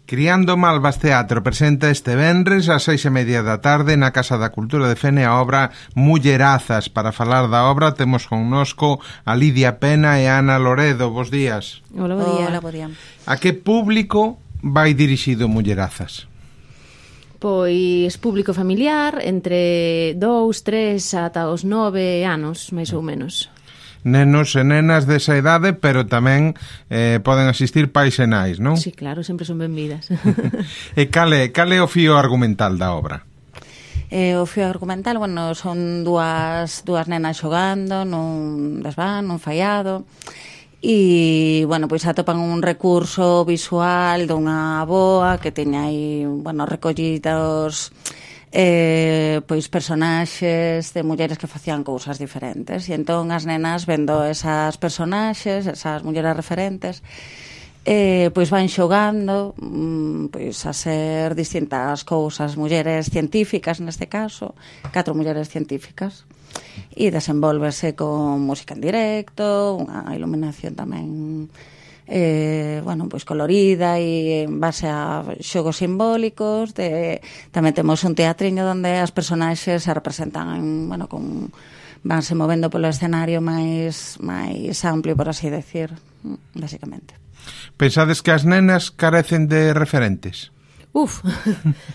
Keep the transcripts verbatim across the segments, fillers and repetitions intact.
Criando Malvas Teatro presenta este venres ás seis e media da tarde na Casa da Cultura de Fene a obra Mullerazas. Para falar da obra temos connosco a Lidia Pena e a Ana Loredo. Bos días. Hola, bo día. Hola, bo día. A que público vai dirixido Mullerazas? Pois público familiar, entre dous, tres ata os nove anos, máis ou menos. Nenos e nenas desa idade, pero tamén eh, poden asistir pais e nais, non? Sí, claro, sempre son benvidas. E cale, cale o fío argumental da obra? Eh, o fío argumental, bueno, son dúas, dúas nenas xogando nun desván, nun faiado, e, bueno, pois atopan un recurso visual dunha avoa que teña aí, bueno, recollidos eh, pois personaxes de mulleres que facían cousas diferentes, e entón as nenas vendo esas personaxes, esas mulleres referentes, eh, pois van xogando pois a ser distintas cousas, mulleres científicas neste caso, catro mulleres científicas, e desenvolverse con música en directo, unha iluminación tamén Eh, bueno, pois colorida e en base a xogos simbólicos. De, tamén temos un teatriño onde as personaxes se representan en, bueno, con, vanse movendo polo escenario máis máis amplio, por así decir, basicamente. Pensades que as nenas carecen de referentes? Uf,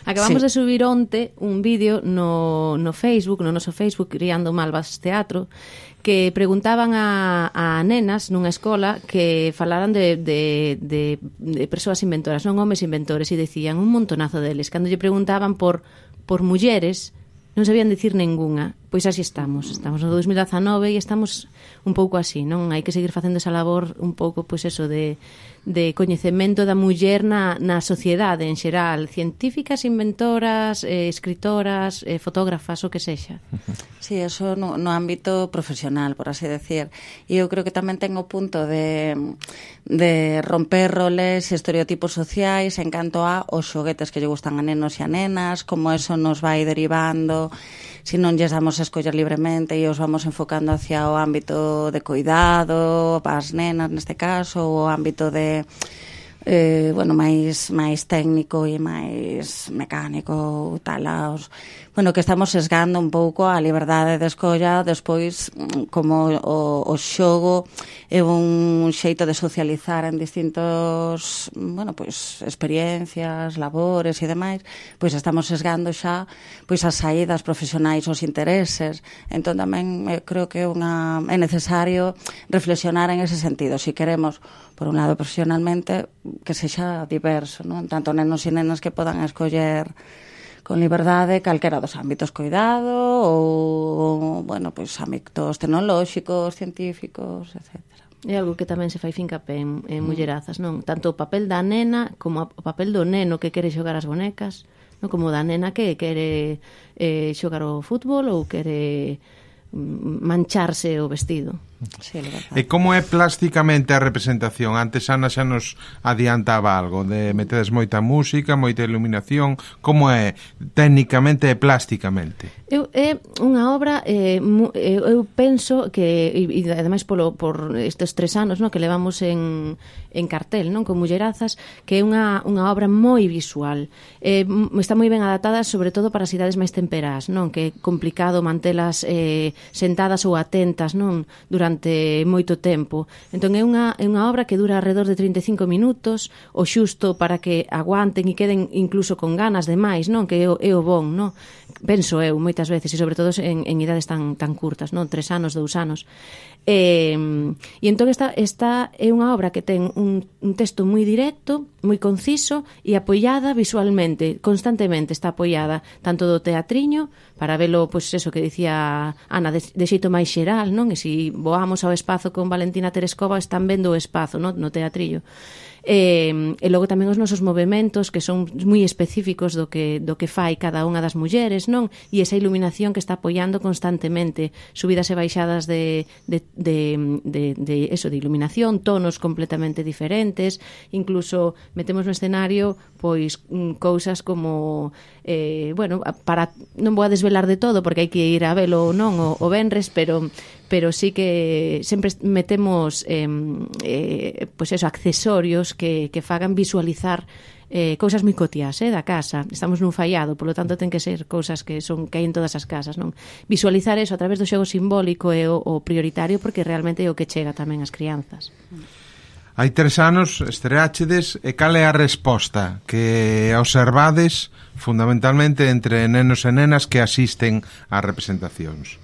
acabamos Sí. de subir onte un vídeo no, no Facebook, no noso Facebook, Criando Malvas Teatro, que preguntaban a, a nenas nunha escola que falaran de, de, de, de persoas inventoras, non homes inventores, e decían un montonazo deles. Cando lle preguntaban por, por mulleres, non sabían dicir ningunha. Pois así estamos, estamos no dos mil dezanove e estamos un pouco así, non? Hai que seguir facendo esa labor un pouco, pois eso, de, de coñecemento da muller na, na sociedade en xeral, científicas, inventoras, eh, escritoras, eh, fotógrafas, o que sexa. Sí, eso no, no ámbito profesional, por así decir. E eu creo que tamén ten o punto de, de romper roles e estereotipos sociais en canto a os xoguetes que lle gustan a nenos e a nenas, como eso nos vai derivando, se non lles damos a escoller libremente e os vamos enfocando hacia o ámbito de cuidado, para as nenas neste caso, ou o ámbito de eh, bueno, máis máis técnico e máis mecánico, tal, aos, bueno, que estamos sesgando un pouco a liberdade de escolla despois, como o, o xogo é un xeito de socializar en distintos, bueno, pois experiencias, labores e demais, pois estamos sesgando xa pois as saídas profesionais, os intereses. Entón tamén eh, creo que é unha é necesario reflexionar en ese sentido, se si queremos por un lado profesionalmente que sexa diverso, non? Tanto nenos e nenas que podan escoller con liberdade calquera dos ámbitos, cuidado ou, bueno, pois ámbitos tecnolóxicos, científicos, etcétera. É algo que tamén se fai fincapé en, en mullerazas, non? Tanto o papel da nena como o papel do neno que quere xogar as bonecas, non? Como da nena que quere eh, xogar o fútbol ou quere mancharse o vestido. Sí, e como é plásticamente a representación? Antes Ana xa nos adiantaba algo de metedes moita música, moita iluminación. Como é técnicamente e plásticamente? Eu, é unha obra eh, mu, eu, eu penso que e, e ademais polo, por estes tres anos, no, que levamos en, en cartel, non, con Mullerazas, que é unha, unha obra moi visual, eh, está moi ben adaptada sobre todo para as idades máis temperás, non, que é complicado mantelas eh, sentadas ou atentas, non, durante moito tempo. Entón é unha, é unha obra que dura alrededor de trinta e cinco minutos, o xusto para que aguanten e queden incluso con ganas de máis, non, que é o, é o bon, non? Penso eu moitas veces, e sobre todo en, en idades tan, tan curtas, non, tres anos, dous anos. E, e entón esta, esta é unha obra que ten un, un texto moi directo, moi conciso e apoiada visualmente, constantemente está apoiada tanto do teatriño, para velo, pois eso que dicía Ana, de, de xeito máis xeral, non? E se voamos ao espazo con Valentina Terescova están vendo o espazo, non? No teatrillo. E, e logo tamén os nosos movementos que son moi específicos do que, do que fai cada unha das mulleres, non? E esa iluminación que está apoiando constantemente, subidas e baixadas de, de, de, de, de eso, de iluminación, tonos completamente diferentes, incluso metemos no escenario pois cousas como eh, bueno, para non vou a desvelar de todo porque hai que ir a velo ou non o, o venres, pero pero sí que sempre metemos eh, eh, pois eso, accesorios que, que fagan visualizar eh, cousas moi cotiás, eh, da casa. Estamos nun fallado, polo tanto ten que ser cousas que son que hai en todas as casas, non? Visualizar eso a través do xogo simbólico é o, o prioritario porque realmente é o que chega tamén ás crianzas. Hai tres anos estreáchedes e cal é a resposta que observades fundamentalmente entre nenos e nenas que asisten ás representacións?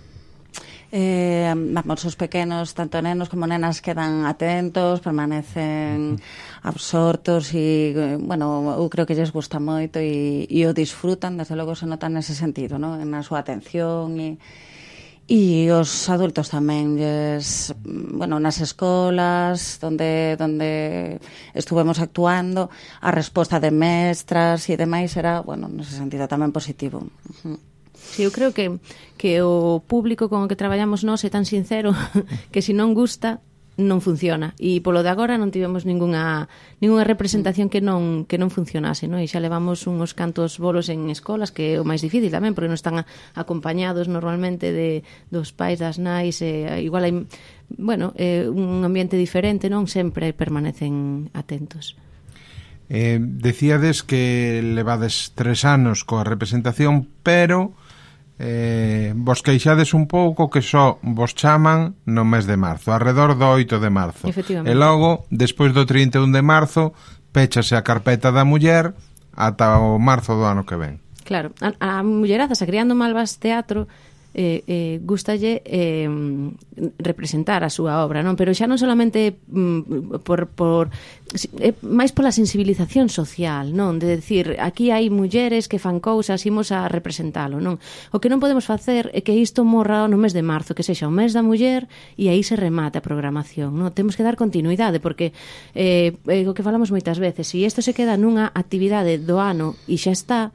Eh, vamos, os pequenos, tanto nenos como nenas, quedan atentos, permanecen absortos e, bueno, eu creo que lles gusta moito e, e o disfrutan, desde logo se nota nese sentido, ¿no? Na súa atención e E os adultos tamén, lles, bueno, nas escolas onde, onde estuvemos actuando, a resposta de mestras e demais era, bueno, nese sentido tamén positivo. Uh-huh. Sí, eu creo que, que o público con o que traballamos nós é tan sincero que se non gusta, non funciona. E polo de agora non tivemos ningunha, ningunha representación que non, que non funcionase, non? E xa levamos uns cantos bolos en escolas, que é o máis difícil tamén, porque non están acompañados normalmente de, dos pais, das nais, e, igual hai, bueno, eh, un ambiente diferente, non? Sempre permanecen atentos. Eh, decíades que levades tres anos coa representación, pero eh, vos queixades un pouco que só vos chaman no mes de marzo, alrededor do oito de marzo. E logo, despois do trinta e un de marzo, péchase a carpeta da muller ata o marzo do ano que ven. Claro, a, a Mulleraza, Criando Malvas Teatro, eh, eh, gustalle eh, representar a súa obra, non? Pero xa non solamente mm, por, por é máis pola sensibilización social, non? De decir, aquí hai mulleres que fan cousas, imos a representalo, non? O que non podemos facer é que isto morra no mes de marzo, que sexa o mes da muller e aí se remate a programación, non? Temos que dar continuidade, porque eh, é o que falamos moitas veces, se isto se queda nunha actividade do ano e xa está,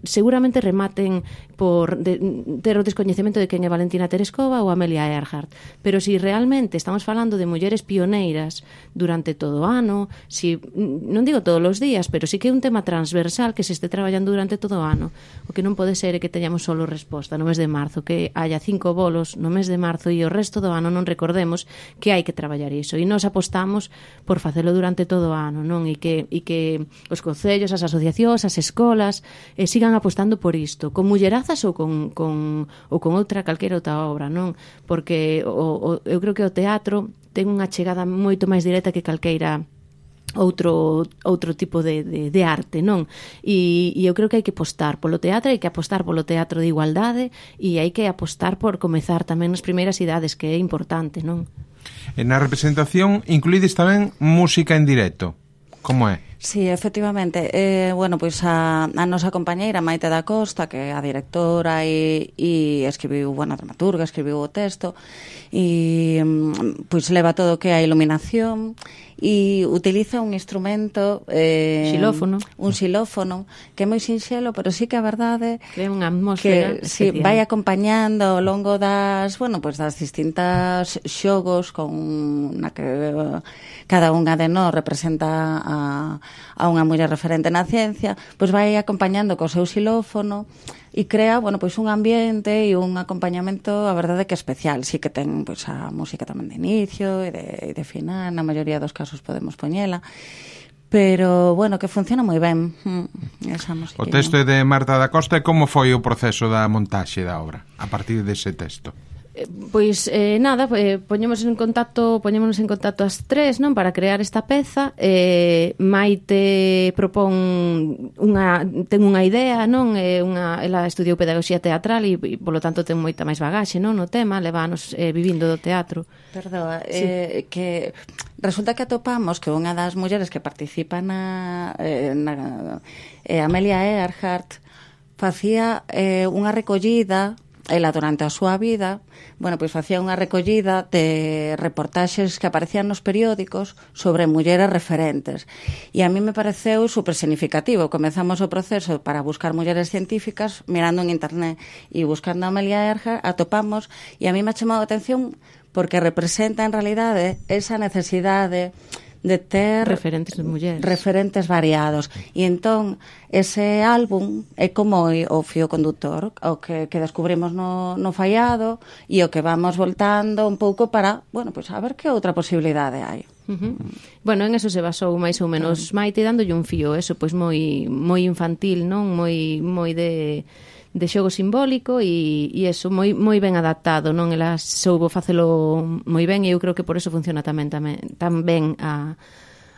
seguramente rematen por de, ter o descoñecemento de quen é Valentina Tereskova ou Amelia Earhart, pero si realmente estamos falando de mulleres pioneiras durante todo o ano, si, non digo todos os días, pero si que é un tema transversal que se este traballando durante todo o ano, o que non pode ser é que teñamos solo resposta no mes de marzo, que haya cinco bolos no mes de marzo e o resto do ano non recordemos que hai que traballar iso, e nós apostamos por facelo durante todo o ano, non? E que, e que os concellos, as asociacións, as escolas e sigan apostando por isto, con mullerazas ou con, con, ou con outra calquera outra obra, non? Porque o, o, eu creo que o teatro ten unha chegada moito máis directa que calqueira outro outro tipo de, de, de arte, non? E, e eu creo que hai que apostar polo teatro, hai que apostar polo teatro de igualdade e hai que apostar por comezar tamén nas primeiras idades, que é importante, non? E na representación incluídes tamén música en directo. Como é? Sí, efectivamente. Eh, bueno, pois a, a nosa compañeira Maite da Costa, que é a directora e, e escribiu, bueno, a dramaturga, escribiu o texto e pois leva todo o que é a iluminación e utiliza un instrumento eh, xilófono. un xilófono que é moi sinxelo, pero sí que a verdade crea unha atmosfera que sí, vai acompañando ao longo das, bueno, pois das distintas xogos con na que cada unha de nós representa a, a unha muller referente na ciencia, pois vai acompañando co seu xilófono e crea, bueno, pois un ambiente e un acompañamento, a verdade que especial. Sí que ten pois a música tamén de inicio e de, e de final, na maioría dos casos podemos poñela, pero, bueno, que funciona moi ben esa música. O texto é de Marta da Costa. E como foi o proceso da montaxe da obra a partir dese texto? Pois eh, nada, eh, poñemos en contacto, poñémonos en contacto as tres, non, para crear esta peza. Eh, Maite propón unha ten unha idea, non? Eh, unha ela estudiou pedagogía teatral e, e polo tanto ten moita máis bagaxe, non, no tema, leva anos eh, vivindo do teatro. Perdoa, sí. eh, que resulta que atopamos que unha das mulleres que participa na, eh, na eh, Amelia Earhart facía eh, unha recollida. Ela durante a súa vida, bueno, pois facía unha recollida de reportaxes que aparecían nos periódicos sobre mulleres referentes. E a mí me pareceu super significativo. Comezamos o proceso para buscar mulleres científicas, mirando en internet e buscando a Amelia Earhart, atopamos, e a mí me ha chamado a atención porque representa en realidade esa necesidade de ter referentes de mulleres, referentes variados. E entón, ese álbum é como o fío conductor, o que, que descubrimos no, no fallado e o que vamos voltando un pouco para, bueno, pois pues, a ver que outra posibilidade hai. Uh-huh. Bueno, en eso se basou máis ou menos Maite, dándolle un fío, eso, pois moi moi infantil, non? Moi moi de de xogo simbólico e, e eso, moi, moi ben adaptado, non? Ela soubo facelo moi ben e eu creo que por eso funciona tamén, tamén tan ben a,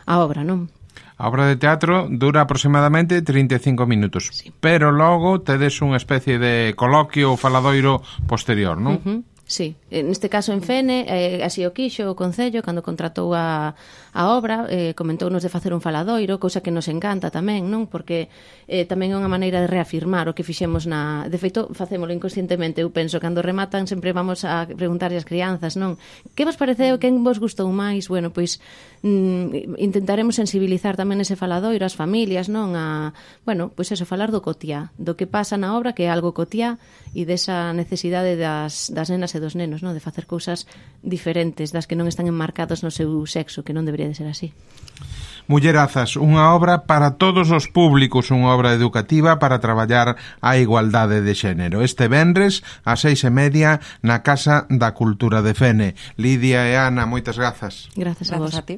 a obra, non? A obra de teatro dura aproximadamente trinta e cinco minutos, sí. Pero logo tedes unha especie de coloquio ou faladoiro posterior, non? Uh-huh. Sí, neste caso en Fene, eh, así o quixo o Concello, cando contratou a, a obra, eh, comentounos de facer un faladoiro, cousa que nos encanta tamén, non? Porque eh, tamén é unha maneira de reafirmar o que fixemos na... De feito, facémolo inconscientemente, eu penso, cando rematan sempre vamos a preguntarle ás crianzas, non? Que vos pareceu, quen vos gustou máis? Bueno, pois mm, intentaremos sensibilizar tamén ese faladoiro ás familias, non? A, bueno, pois eso, falar do cotiá, do que pasa na obra, que é algo cotiá, e desa necesidade das, das nenas e dos nenos, non? De facer cousas diferentes das que non están enmarcados no seu sexo, que non debería de ser así. Mullerazas, unha obra para todos os públicos, unha obra educativa para traballar a igualdade de xénero. Este venres, a seis e media, na Casa da Cultura de Fene. Lidia e Ana, moitas grazas. Grazas a vos. Grazas a ti.